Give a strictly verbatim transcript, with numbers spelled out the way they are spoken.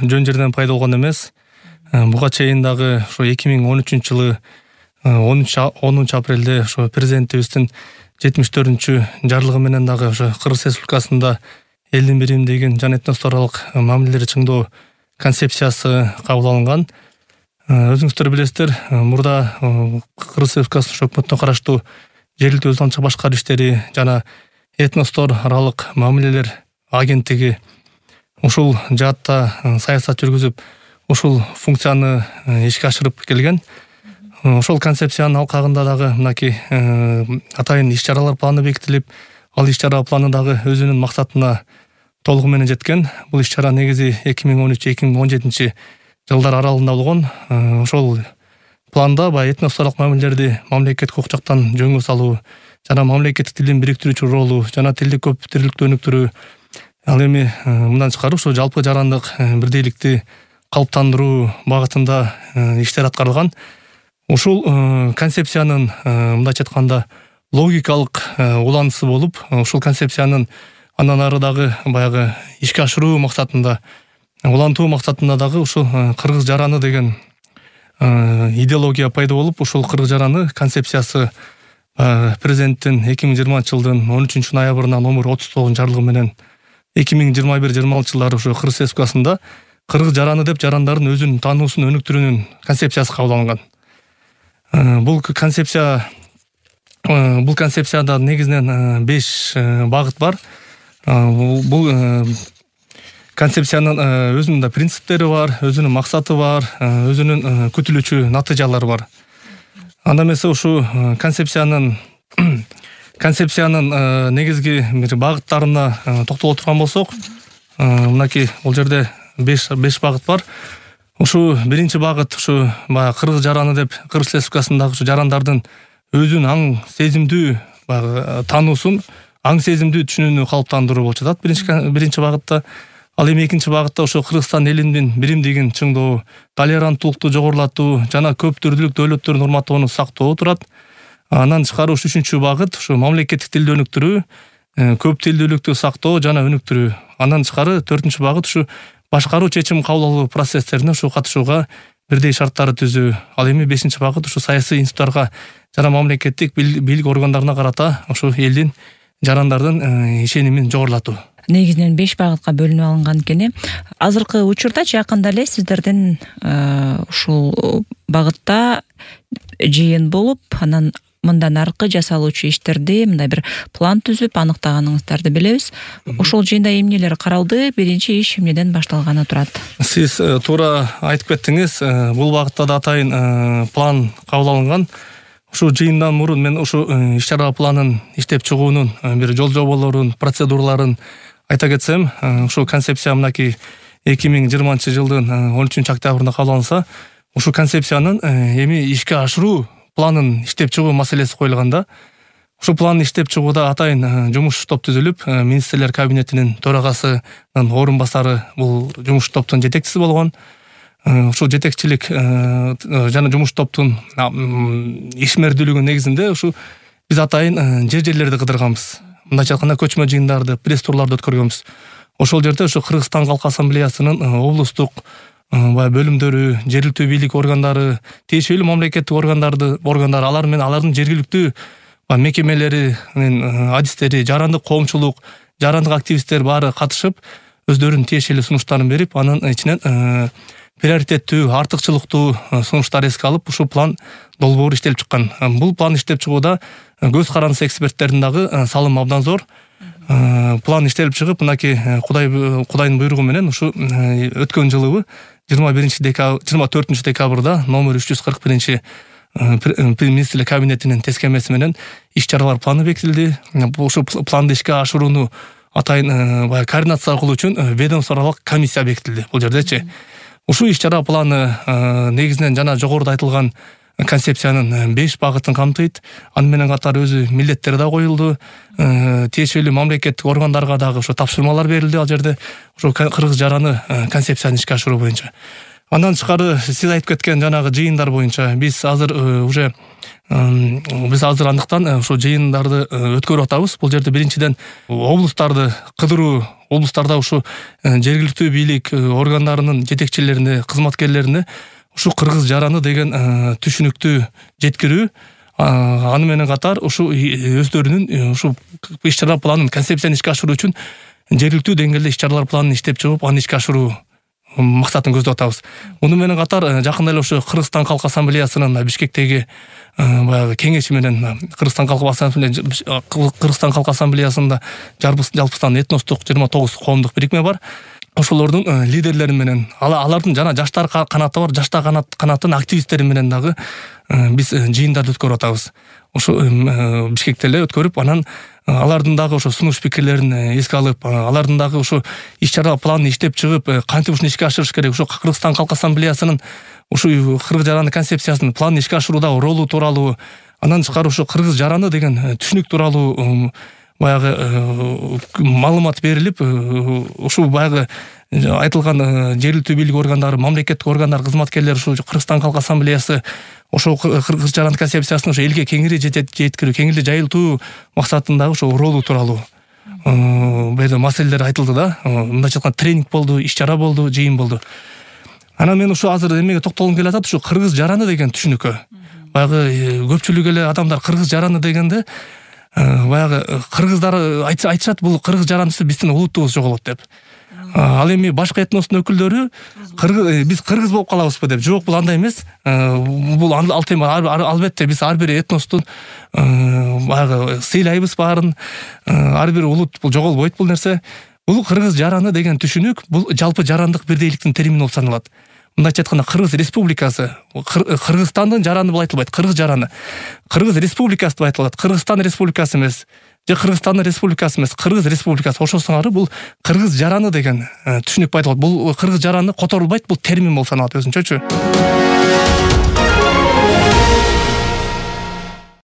жөн жерден пайда болгон эмес. Буга чейин дагы ошо эки миң он үчүнчү жылы онунчу апрелде ошо президентибиздин жетимиш төртүнчү жарлыгы менен дагы ошо Кыргыз Республикасында элдин биримдигин жана этносторалык мамилелерди чыңдоо концепциясы кабыл алынган. Өзүңүздөр билесиздер, мурда Кыргыз Республикасынын өкмөтүнө караштуу жергиликтүү өз алдынча башкаруу иштери жана этностор аралык мамилелер агенттиги ушул жаатта саясат жүргүзүп, ушул функцияны ишке ашырып келген. Ошол концепциянын алкагында дагы мынакей атайын иш-чаралар планы бекитилип, ал иш-чара планы дагы өзүнүн максатына толугу менен жеткен. Бул иш-чара негизи эки миң он үч эки миң он жетинчи жылдар аралыгында болгон. Ошол планда баягы этносторалык мамилелерди мамлекеттик укук жактан жөнгө салуу жана мамлекеттик тилдин бириктирүүчү ролу жана тилдик көптүрлүктү өнүктүрүү, ал эми мындан тышкары ушул жалпы жарандык бирдейликти калыптандыруу багытында иштер аткарылган. Ушул концепциянын мындайча айтканда логикалык уланысы болуп, ушул концепциянын андан ары дагы баягы ишке ашыруу максатында, улантуу максатында дагы ушул кыргыз жараны деген идеология пайда болуп, ушул кыргыз жараны концепциясы президенттин эки миң жыйырманчы жылдын он үчүнчү ноябрына номер отуз тогузунчу жарлыгы менен эки миң жыйырма бир жыйырма алтынчы жылдары ушу Кыргыз Республикасында кыргыз жараны деп жарандардын өзүнүн таануусун өнүктүрүүнүн концепциясы кабыл алынган. Бул концепция бул концепцияда негизинен беш багыт бар. Бул концепциянын өзүнүн да принциптери бар, өзүнүн максаты бар, өзүнүн күтүлүүчү натыйжалары бар. Анда эмесе ушу концепциянын концепциянын негизги бир багыттарына токтоло турган болсок, мынакей бул жерде беш багыт бар. Ушу биринчи багыт ушу баягы кыргыз жараны деп Кыргыз Республикасындагы ушу жарандардын өзүн аң сезимдүү баягы таануусун, аң сезимдүү түшүнүүнү калыптандыруу болуп жатат биринчи биринчи багытта. Ал эми экинчи багытта ошо Кыргызстан элинин биримдигин чыңдоо, толеранттуулукту жогорулатуу жана көп түрлүүлүк дөөлөттөрдүн урматтоону сактоо турат. Андан тышкары ушу үчүнчү багыт ушу мамлекеттик тилди өнүктүрүү, көп тилдүүлүктү сактоо жана өнүктүрүү. Андан тышкары төртүнчү багыт ушу башкаруу, чечим кабыл алуу процесстерине ушу катышууга бирдей шарттарды түзүү. Ал эми бешинчи багыт ушу саясий институттарга жана мамлекеттик бийлик органдарына карата ушу элдин жарандардын ишенимин жогорулатуу. Негизинен беш багытка бөлүнүп алынган экен. Азыркы учурда жакында эле сиздердин ушул багытта жыйын болуп, анан мындан аркы жасалуучу иштерди мындай бир план түзүп аныктаганыңыздарды билебиз. Ошол жыйында эмнелер каралды, биринчи иш эмнеден башталганы турат? Сиз туура айтып кеттиңиз. Бул багытта да атайын план кабыл алынган. Ушу жыйындан мурун мен ушу иш-чара планын иштеп чыгуунун бир жол жоболорун, процедураларын айта кетсем, ушу концепция мынакей эки миң жыйырманчы жылдын он үчүнчү октябрында кабыл алынса, ушу концепциянын эми ишке ашыруу планын иштеп чыгуу маселеси коюлганда, ушу планды иштеп чыгууда атайын жумуш топ түзүлүп, министрлер кабинетинин төрагасынын орун басары бул жумуш топтун жетекчиси болгон. Ушул жетекчилик жана жумуш топтун ишмердүүлүгүнүн негизинде ушу биз атайын жер-жерлерди кыдырганбыз. Мындайча айтканда көчмө жыйындарды, пресс-турларды өткөргөнбүз. Ошол жерде ушу Кыргызстан Калк Ассамблеясынын облустук баягы бөлүмдөрү, жергиликтүү бийлик органдары, тиешелүү мамлекеттик органдарды, органдар алар менен алардын жергиликтүү мекемелеринин адистери, жарандык коомчулук, жарандык активисттер баары катышып, өздөрүнүн тиешелүү сунуштарын берип, анын ичинен приоритеттүү, артыкчылыктуу сунуштар эске алып, ушул план долбоор иштелип чыккан. Бул план иштеп чыгууда көз карандысы эксперттердин дагы салымы абдан зор. План иштелип чыгып, мынакей Кудай Кудайдын буйругу менен ушу өткөн жылы жыйырма биринчи декабрь жыйырма төртүнчү декабрда номер үч жүз кырк биринчи министрлер кабинетинин тескемеси менен иш-чаралар планы бекитилди. Ушул планды ишке ашырууну атайын баягы координация кылуу үчүн ведомстволук комиссия бекитилди. Бул жердечи ушул иш-чара планы негизинен жана жогоруда айтылган концепциянын беш багытын камтыйт. Аны менен катар өзү милдеттери да коюлду. Тиешелүү мамлекеттик органдарга дагы ошо тапшырмалар берилди ал жерде ошо кыргыз жараны концепцияны ишке ашыруу боюнча. Андан тышкары сиз айтып кеткен жанагы жыйындар боюнча биз азыр уже биз азыр андыктан ошо жыйындарды өткөрүп атабыз. Бул жерде биринчиден облустарды кыдыруу, облустарда ушу жергиликтүү бийлик органдарынын жетекчилерине, кызматкерлерине ушу кыргыз жараны деген түшүнүктү жеткирүү, аны менен катар ушу өздөрүнүн ушу иш-чара планын, концепцияны ишке ашыруу үчүн жергиликтүү деңгээлде иш-чаралар планын иштеп чыгып, аны ишке ашыруу максатын көздөп атабыз. Муну менен катар жакында эле ушу Кыргызстан Калк Ассамблеясынын Бишкектеги баягы кеңеши менен Кыргызстан Калк Ассамблеясында Кыргызстан Калк Ассамблеясында жалпыстан этностук жыйырма тогуз коомдук бирикме бар. Ошолордун лидерлери менен, алардын жана жаштар канаты бар, жаштар канаттын активисттери менен дагы биз жыйындарды өткөрүп атабыз. Ошо Бишкекте эле өткөрүп, анан алардын дагы ошо сунуш пикирлерин эске алып, алардын дагы ошо иш-чара планын иштеп чыгып, кантип ушуну ишке ашырыш керек, ошо Кыргызстан Калк Ассамблеясынын ушу кыргыз жараны концепциясынын планын ишке ашырууда ролу тууралуу, андан тышкары ушу кыргыз жараны деген түшүнүк тууралуу баягы маалымат берилип, ушул баягы айтылган жергиликтүү бийлик органдары, мамлекеттик органдар кызматкерлери, ушу Кыргызстан Калк Ассамблеясы ошол кыргыз жараны концепциясын ошо элге кеңири жеткирүү, кеңири жайылтуу максатында ошо ролу тууралуу бул жерде маселелер айтылды да. Мындайча айтканда тренинг болду, иш-чара болду, жыйын болду. Анан мен ушу азыр эмеге токтолгум келип атат, ушу кыргыз жараны деген түшүнүккө. Баягы көпчүлүк эле адамдар кыргыз жараны дегенде баягы кыргыздар айтышат, бул кыргыз жарандысы биздин улуттугубуз жоголот деп. Ал эми башка этностун өкүлдөрү биз кыргыз болуп калабызбы деп. Жок, бул андай эмес. Бул ал тема албетте биз ар бир этностун баягы сыйлайбыз баарын. Ар бир улут бул жоголбойт бул нерсе. Бул кыргыз жараны деген түшүнүк бул жалпы жарандык бирдейликтин термини болуп саналат. Мындайча айтканда Кыргыз Республикасы, Кыргызстандын жараны болуп айтылбайт, кыргыз жараны. Кыргыз Республикасы деп айтылат, Кыргызстан Республикасы эмес. Же Кыргызстандын республикасы эмес, Кыргыз Республикасы. Ошол сыңары бул кыргыз жараны деген түшүнүк айтылат. Бул кыргыз жараны которулбайт, бул термин болуп саналат өзүнчөчү.